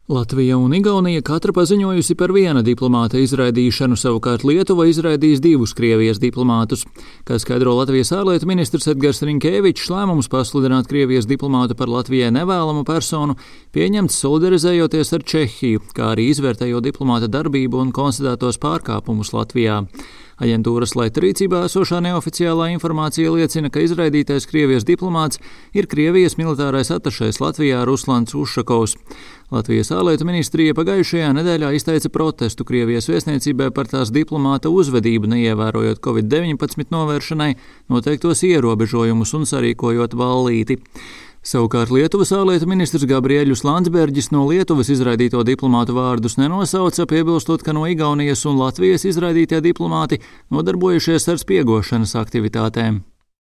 Latvija un Igaunija katra paziņojusi par viena diplomāta izraidīšanu, savukārt Lietuva izraidījis 2 Krievijas diplomātus. Kā skaidro Latvijas ārlietu ministrs Edgars Rinkēvičs, lēmums pasludināt Krievijas diplomātu par Latvijai nevēlamu personu pieņemts solidarizējoties ar Čehiju, kā arī izvērtējot diplomāta darbību un konstatētos pārkāpumus Latvijā. Aģentūras Laita rīcībā esošā neoficiālā informācija liecina, ka izraidītais Krievijas diplomāts ir Krievijas militārais atašējs Latvijā Ruslans Ušakovs. Latvijas ārlietu ministrija pagājušajā nedēļā izteica protestu Krievijas vēstniecībai par tās diplomāta uzvedību, neievērojot Covid-19 novēršanai noteiktos ierobežojumus un sarīkojot ballīti. Savukārt Lietuvas ārlietu ministrs Gabriēļus Landsbergis no Lietuvas izraidīto diplomātu vārdus nenosauca, piebilstot, ka no Igaunijas un Latvijas izraidītie diplomāti nodarbojušies ar spiegošanas aktivitātēm.